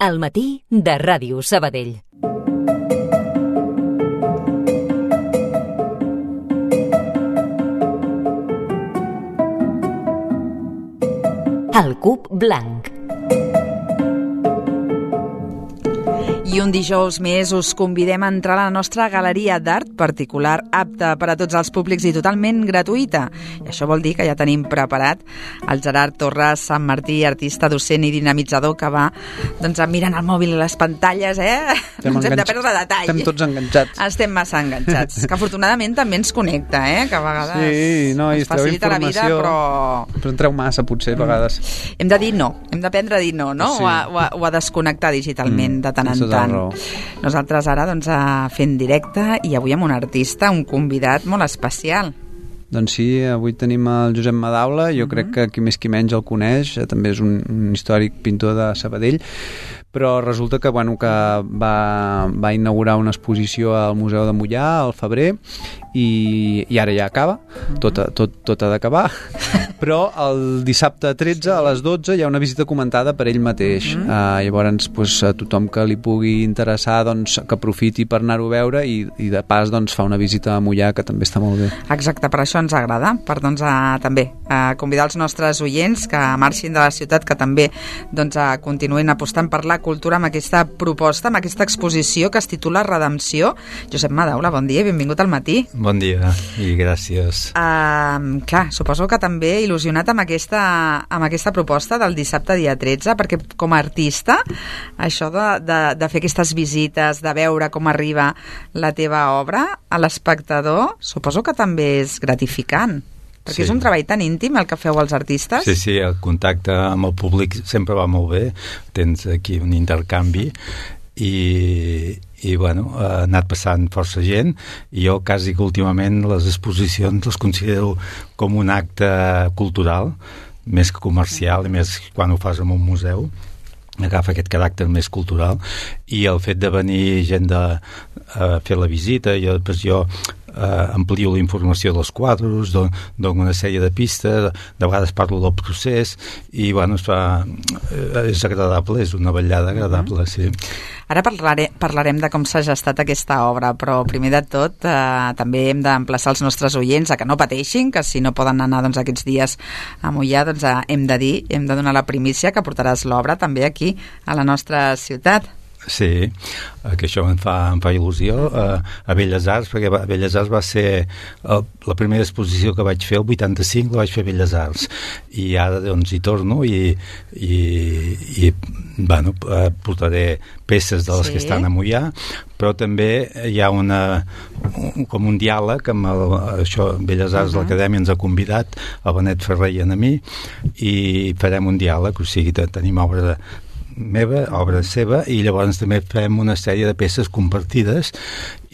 Al matí de Ràdio Sabadell. El Cub Blanc. I un dijous més us convidem a entrar a la nostra galeria d'art particular, apta per a tots els públics i totalment gratuïta. I això vol dir que ja tenim preparat el Gerard Torres Sant Martí, artista, docent i dinamitzador, que va mirant el mòbil i les pantalles, No ens hem de perdre detall. Estem tots enganxats. Estem massa enganxats, que afortunadament també ens connecta, que a vegades ens facilita la vida, però entreu massa, potser, a vegades. Hem de dir no, hem d'aprendre a dir no? Sí. O a desconnectar digitalment de tant en tant. Nosaltres ara fent directe i avui amb un artista, un convidat molt especial. Doncs sí, avui tenim el Josep Madaula, jo crec que qui més qui menys el coneix, també és un històric pintor de Sabadell, però resulta que, va inaugurar una exposició al Museu de Moià al febrer i ara ja acaba, tot ha d'acabar, però el dissabte 13 a les 12 hi ha una visita comentada per ell mateix. Llavors, a tothom que li pugui interessar, que aprofiti per anar-ho a veure i de pas fa una visita a Moià, que també està molt bé. Exacte, per això ens agrada, per també convidar els nostres oients que marxin de la ciutat, que també continuïn apostant per la cultura amb aquesta proposta, amb aquesta exposició que es titula Redempció. Josep Madaula, bon dia i benvingut al matí. Bon dia i gràcies. Clar, suposo que també il·lusionat amb aquesta proposta del dissabte dia 13, perquè com a artista això de fer aquestes visites, de veure com arriba la teva obra a l'espectador, suposo que també és gratificant. Perquè és un treball tan íntim el que feu els artistes. Sí, el contacte amb el públic sempre va molt bé, tens aquí un intercanvi i ha anat passant força gent i jo quasi que últimament les exposicions les considero com un acte cultural, més que comercial, i més quan ho fas en un museu agafa aquest caràcter més cultural, i el fet de venir gent a fer la visita i després jo amplio la informació dels quadros, dono una sèrie de pistes, de vegades parlo del procés i és agradable, és una vetllada agradable, sí. Ara parlarem de com s'ha gestat aquesta obra, però primer de tot també hem d'emplaçar els nostres oients a que no pateixin, que si no poden anar aquests dies a Moià, hem de donar la primícia que portaràs l'obra també aquí a la nostra ciutat. Sí, que això em fa il·lusió a Belles Arts, perquè a Belles Arts va ser la primera exposició que vaig fer el 85, la vaig fer a Belles Arts i ara hi torno i portaré peces de les que estan a Moià, però també hi ha com un diàleg amb Belles Arts, l'Acadèmia ens ha convidat, el Benet Ferrer i a mi, i farem un diàleg, o sigui, tenim obra meva, obra seva, i llavors també fem una sèrie de peces compartides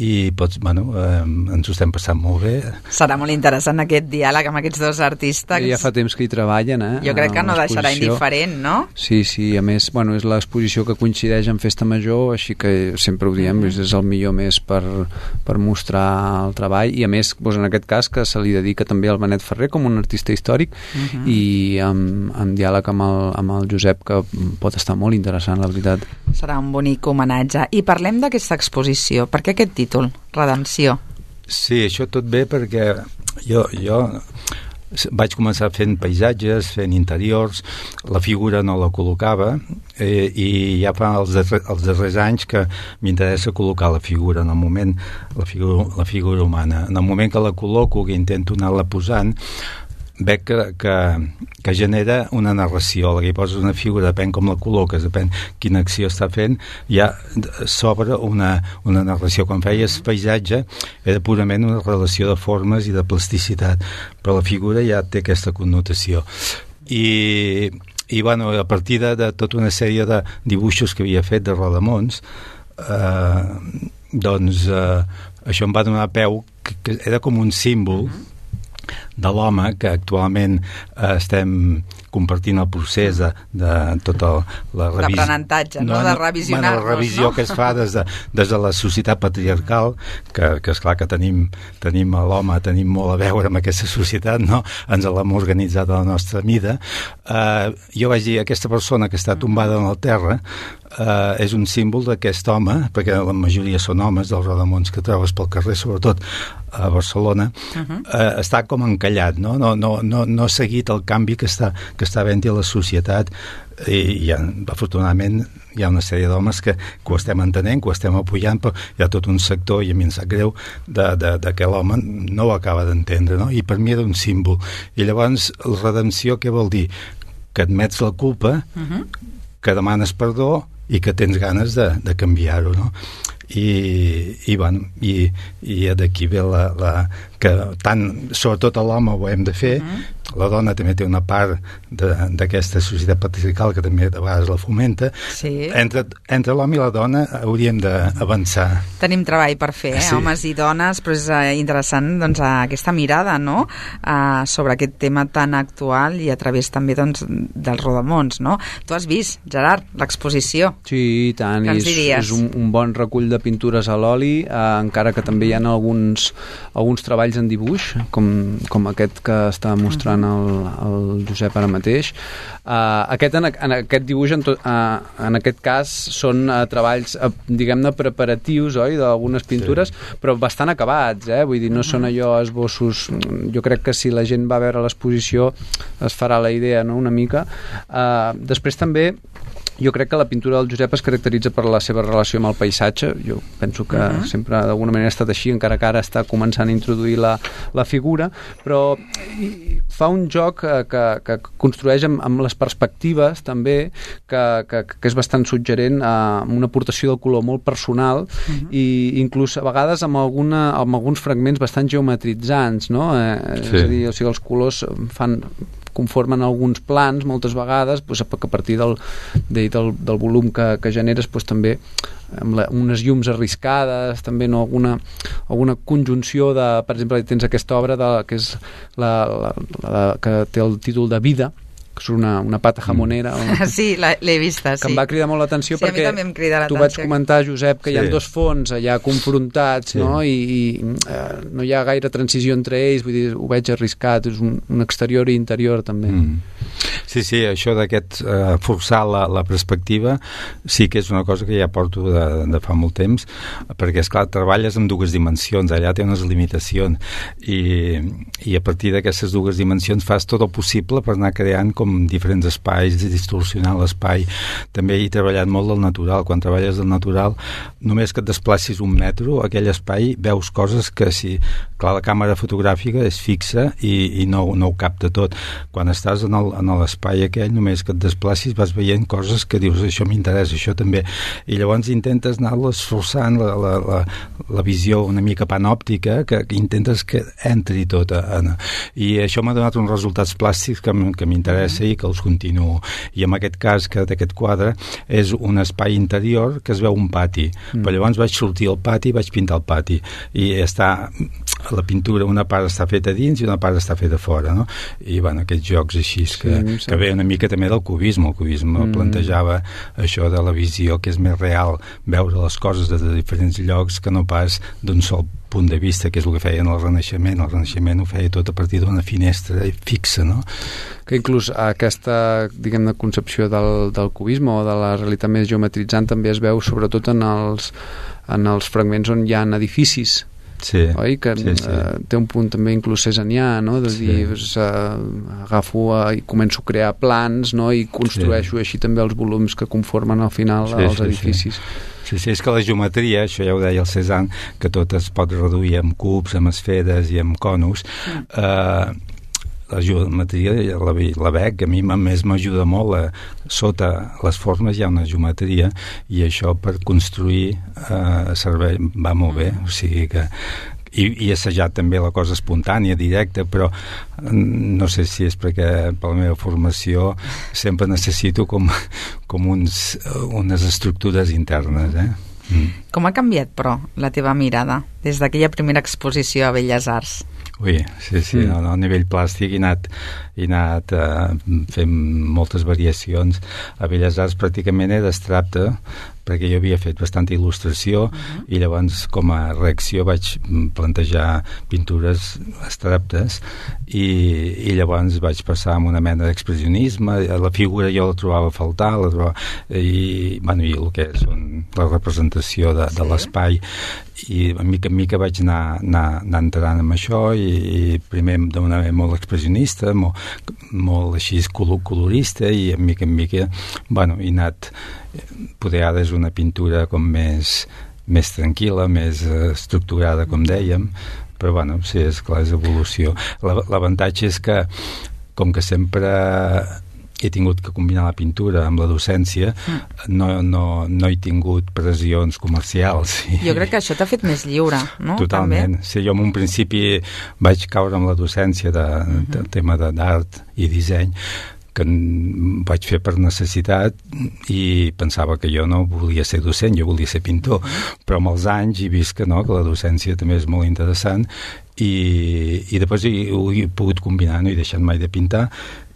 i ens ho estem passant molt bé. Serà molt interessant aquest diàleg amb aquests dos artistes. Ja fa temps que hi treballen, Jo crec que no deixarà indiferent, no? Sí, a més, és l'exposició que coincideix amb Festa Major, així que sempre ho diem, és el millor mes per mostrar el treball, i a més, en aquest cas, que se li dedica també al Benet Ferrer com un artista històric, i amb diàleg amb el Josep, que pot estar molt interessant, la veritat. Serà un bonic homenatge. I parlem d'aquesta exposició. Per què aquest títol, Redempció? Sí, això tot bé perquè jo vaig començar fent paisatges, fent interiors, la figura no la col·locava i ja fa els darrers anys que m'interessa col·locar la figura en el moment, la figura humana. En el moment que la col·loco, que intento anar-la posant, veig que genera una narració. La que hi poses una figura, depèn com la col·loques, depèn quina acció està fent, ja s'obre una narració. Quan feies paisatge era purament una relació de formes i de plasticitat, però la figura ja té aquesta connotació. I a partir de tota una sèrie de dibuixos que havia fet de rodamons, això em va donar peu, que era com un símbol de l'home, que actualment estem compartint el procés de tota la revisió. D'aprenentatge, de revisionar-nos. La revisió que es fa des de la societat patriarcal, que esclar que tenim l'home, tenim molt a veure amb aquesta societat, no? Ens l'hem organitzat a la nostra mida. Jo vaig dir, aquesta persona que està tombada en el terra, és un símbol d'aquest home, perquè la majoria són homes dels rodamons que trobes pel carrer, sobretot a Barcelona, està com encallat, no ha seguit el canvi que està havent-hi a la societat, i afortunadament hi ha una sèrie d'homes que ho estem entenent, que ho estem apoyant, però hi ha tot un sector, i a mi em sap greu, de que l'home no ho acaba d'entendre, no? I per mi era un símbol. I llavors, la redempció què vol dir? Que admets la culpa, que demanes perdó i que tens ganes de canviar-ho, no? I d'aquí ve que tant, sobretot a l'home ho hem de fer, la dona també té una part d'aquesta societat patriarcal que també de vegades la fomenta. Sí. Entre l'home i la dona hauríem d'avançar. Tenim treball per fer, Sí. homes i dones, però és interessant doncs, aquesta mirada, no?, sobre aquest tema tan actual i a través també doncs, dels rodamons, no? Tu has vist, Gerard, l'exposició. Sí, i tant, Què ens diries? és un bon recull de pintures a l'oli, encara que també hi ha alguns treballs en dibuix, com aquest que està mostrant el Josep ara mateix. En aquest dibuix, en aquest cas, són treballs, diguem-ne, preparatius, oi?, d'algunes pintures, però bastant acabats, vull dir, no són allò esbossos. Jo crec que si la gent va a veure l'exposició es farà la idea, no?, una mica. Després també jo crec que la pintura del Josep es caracteritza per la seva relació amb el paisatge. Jo penso que sempre d'alguna manera ha estat així, encara que ara està començant a introduir la figura, però fa un joc que construeix amb les perspectives també, que és bastant suggerent, amb una aportació del color molt personal, i inclús a vegades amb alguns fragments bastant geometritzants, no? És a dir, o sigui, els colors conformen alguns plans moltes vegades, doncs, que a partir del volum que generes, doncs, també amb unes llums arriscades, també, no? alguna conjunció de, per exemple, tens aquesta obra que és que té el títol de Vida, que és una pata jamonera. Sí, l'he vista, sí. Que em va cridar molt l'atenció, sí, perquè tu vaig comentar, Josep, que hi ha dos fons allà confrontats, no? I no hi ha gaire transició entre ells, vull dir, ho veig arriscat, és un exterior i interior també. Sí, això d'aquest forçar la perspectiva sí que és una cosa que ja porto de fa molt temps, perquè, esclar, treballes en dues dimensions, allà té unes limitacions, i a partir d'aquestes dues dimensions fas tot el possible per anar creant com diferents espais, distorsionar l'espai. També he treballat molt del natural. Quan treballes del natural, només que et desplacis un metro, aquell espai veus coses que, si, clar, la càmera fotogràfica és fixa i no ho capta tot. Quan estàs en l'espai aquell, només que et desplacis vas veient coses que dius, això m'interessa, això també. I llavors intentes anar-les forçant la visió una mica panòptica, que intentes que entri tot. I això m'ha donat uns resultats plàstics que m'interessa i que els continuo. I en aquest cas, que d'aquest quadre és un espai interior que es veu un pati. Però llavors vaig sortir al pati i vaig pintar el pati. I la pintura, una part està feta dins i una part està feta fora, no? I, bueno, aquests jocs així que ve una mica també del cubisme. El cubisme plantejava això de la visió, que és més real, veure les coses des de diferents llocs que no pas d'un sol punt de vista, que és el que feien el Renaixement. El Renaixement ho feia tot a partir d'una finestra fixa, no? Que inclús aquesta, diguem-ne, concepció del cubisme o de la realitat més geometritzant també es veu sobretot en els fragments on hi ha edificis. Sí, oi? Que té un punt també inclús cesanià, no? De dir, agafo i començo a crear plans, no? I construeixo així també els volums que conformen al final els edificis. Sí, és que la geometria, això ja ho deia el Cézanne, que tot es pot reduir amb cubs, amb esferes i amb conos. La geometria la veig, a mi més m'ajuda molt. Sota les formes hi ha una geometria i això per construir va molt bé. O sigui que i he assajat també la cosa espontània, directa, però no sé si és perquè per la meva formació sempre necessito com unes estructures internes, Com ha canviat, però, la teva mirada des d'aquella primera exposició a Belles Arts? Ui, sí, a nivell plàstic he anat fent moltes variacions. A Belles Arts pràcticament era abstracte, perquè jo havia fet bastanta il·lustració i llavors com a reacció vaig plantejar pintures abstractes i llavors vaig passar amb una mena d'expressionisme. La figura jo la trobava a faltar, i el que són la representació de l'espai, i mica en mica vaig anar entrant en això, i primer d'una manera molt expressionista, molt així colorista, i mica en mica he anat. Poder ara és una pintura com més tranquil·la, més estructurada, com dèiem, però sí, és clar, és evolució. L'avantatge és que, com que sempre he tingut que combinar la pintura amb la docència, no he tingut pressions comercials. Jo crec que això t'ha fet més lliure, no? Totalment. Sí, jo en un principi vaig caure amb la docència del tema d'art i disseny, que vaig fer per necessitat, i pensava que jo no volia ser docent, jo volia ser pintor, però amb els anys he vist que no, que la docència també és molt interessant, i després ho he pogut combinar, no he deixat mai de pintar,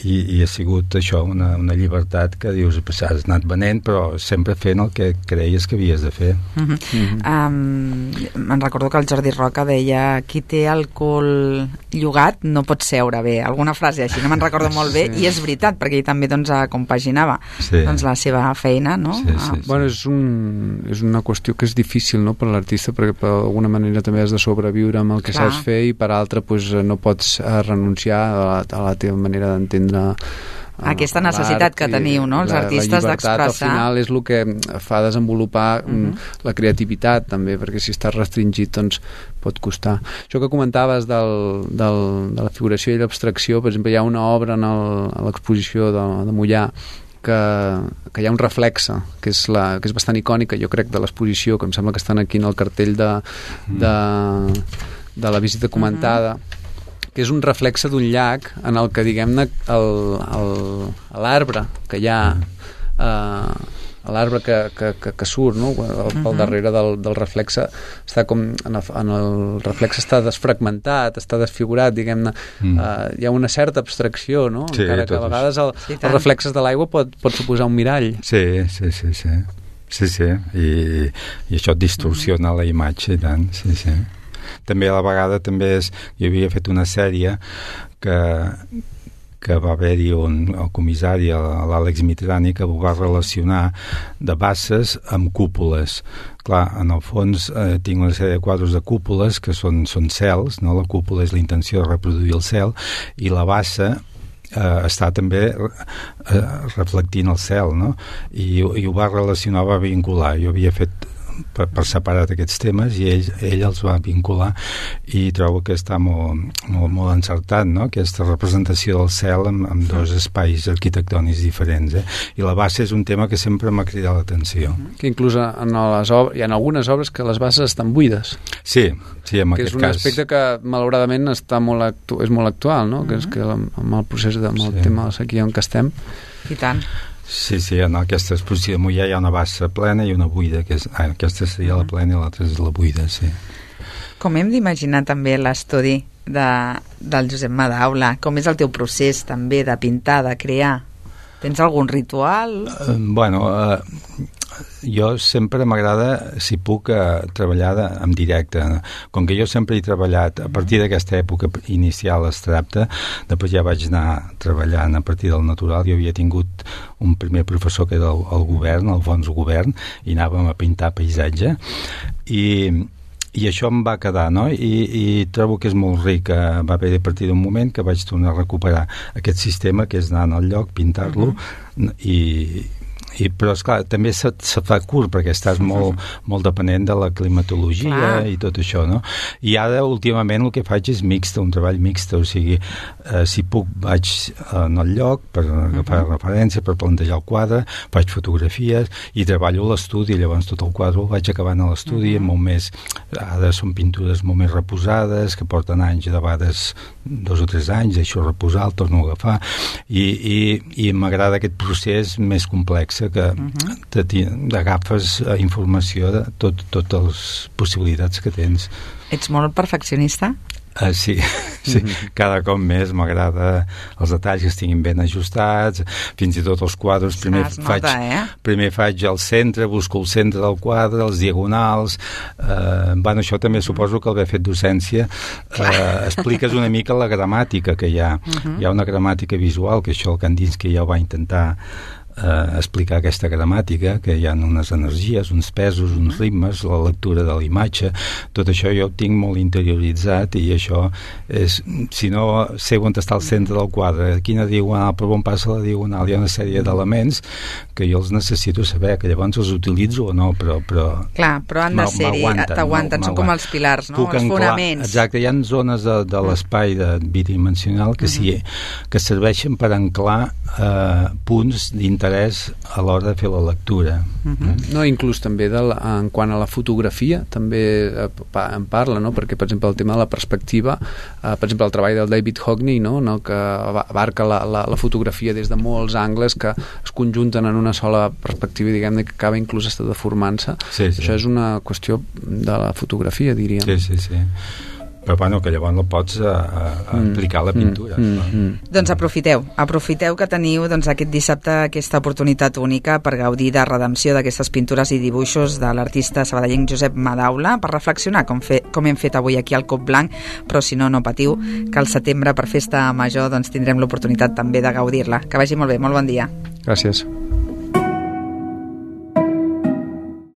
i ha sigut això, una llibertat que dius, has anat venent, però sempre fent el que creies que havies de fer. Me'n recordo que el Jordi Roca deia: qui té el cul llogat no pot seure bé, alguna frase així, no me'n recordo molt bé, i és veritat, perquè ell també compaginava la seva feina, no? Bueno, és una qüestió que és difícil, no?, per l'artista, perquè d'alguna manera també has de sobreviure amb el que saps fer, i per altra no pots renunciar a la teva manera d'entendre aquesta necessitat que teniu, no?, els artistes d'expressar. La llibertat, al final, és el que fa desenvolupar la creativitat, també, perquè si estàs restringit, doncs pot costar. Això que comentaves de la figuració i l'abstracció, per exemple, hi ha una obra a l'exposició de Mollà que hi ha un reflexe, que és bastant icònica, jo crec, de l'exposició, que em sembla que estan aquí en el cartell de la visita comentada, que és un reflexe d'un llac en el que, diguem-ne, l'arbre que hi ha, l'arbre que surt, no?, pel darrere del reflexe, està com en el reflexe està desfragmentat, està desfigurat, diguem-ne. Hi ha una certa abstracció, no?, encara que a vegades els reflexes de l'aigua pot suposar un mirall. Sí, i això distorsiona la imatge, i tant, sí. També a la vegada jo havia fet una sèrie que va haver-hi el comissari, l'Àlex Mitrani, que ho va relacionar de basses amb cúpules. Clar, en el fons tinc una sèrie de quadres de cúpules que són cels, no? La cúpula és la intenció de reproduir el cel, i la bassa està també reflectint el cel, no? I ho va relacionar, va vincular. Jo havia fet per separat aquests temes, i ell els va vincular, i trobo que està molt encertat, no?, aquesta representació del cel amb dos espais arquitectònics diferents, i la bassa és un tema que sempre m'ha cridat l'atenció. Que inclús hi ha algunes obres que les basses estan buides. Sí, en aquest cas. Que és un aspecte que malauradament és molt actual, no?, que és que amb el procés amb el tema de la sequia en què estem. I tant. Sí, en aquesta exposició de Mollà hi ha una bassa plena i una buida, aquesta seria la plena i l'altra és la buida, sí. Com hem d'imaginar també l'estudi del Josep Madaula? Com és el teu procés també de pintar, de crear? Tens algun ritual? Jo sempre m'agrada, si puc, treballar en directe. Com que jo sempre he treballat a partir d'aquesta època inicial abstracta, després ja vaig anar treballant a partir del natural. Jo havia tingut un primer professor que era el Govern, Alfons Govern, i anàvem a pintar paisatge, i això em va quedar, no? I trobo que és molt ric. Va haver a partir d'un moment que vaig tornar a recuperar aquest sistema, que és anar al lloc, pintar-lo, però esclar, també se fa curt perquè estàs molt depenent de la climatologia i tot això, no? I ara últimament el que faig és un treball mixt, o sigui, si puc vaig en el lloc per agafar referència, per plantejar el quadre, faig fotografies i treballo a l'estudi, llavors tot el quadre el vaig acabant a l'estudi, molt més, ara són pintures molt més reposades, que porten anys, de vegades 2 o 3 anys, deixo reposar, el torno a agafar, i m'agrada aquest procés més complex, pensa que agafes informació de totes les possibilitats que tens. Ets molt perfeccionista? Sí. Cada cop més m'agrada els detalls que estiguin ben ajustats, fins i tot els quadres primer faig el centre, busco el centre del quadre, els diagonals, això també suposo que l'haver fet docència expliques una mica la gramàtica que hi ha. Hi ha una gramàtica visual, que això el Kandinsky ja ho va intentar explicar, aquesta gramàtica, que hi ha unes energies, uns pesos, uns ritmes, la lectura de la imatge, tot això jo ho tinc molt interioritzat, i això és, si no sé on està el centre del quadre, quina diagonal, per on passa la diagonal, hi ha una sèrie d'elements que jo els necessito saber, que llavors els utilitzo o no, però clar, però han de ser-hi, t'aguanten, són com els pilars, no? Els fonaments. Exacte, hi ha zones de l'espai bidimensional que serveixen per anclar punts d'interès a l'hora de fer la lectura. No, inclús també en quant a la fotografia també en parla, no? Perquè per exemple el tema de la perspectiva, per exemple el treball del David Hockney, no? Que abarca la fotografia des de molts angles que es conjunten en una sola perspectiva, diguem-ne, que acaba inclús estar deformant-se. Això és una qüestió de la fotografia, diríem. Sí. Però bueno, que llavors no pots aplicar la pintura. Doncs aprofiteu que teniu aquest dissabte aquesta oportunitat única per gaudir de redempció d'aquestes pintures i dibuixos de l'artista sabadellenc Josep Madaula, per reflexionar com hem fet avui aquí al Cop Blanc, però si no patiu, que al setembre per Festa Major tindrem l'oportunitat també de gaudir-la. Que vagi molt bé, molt bon dia. Gràcies.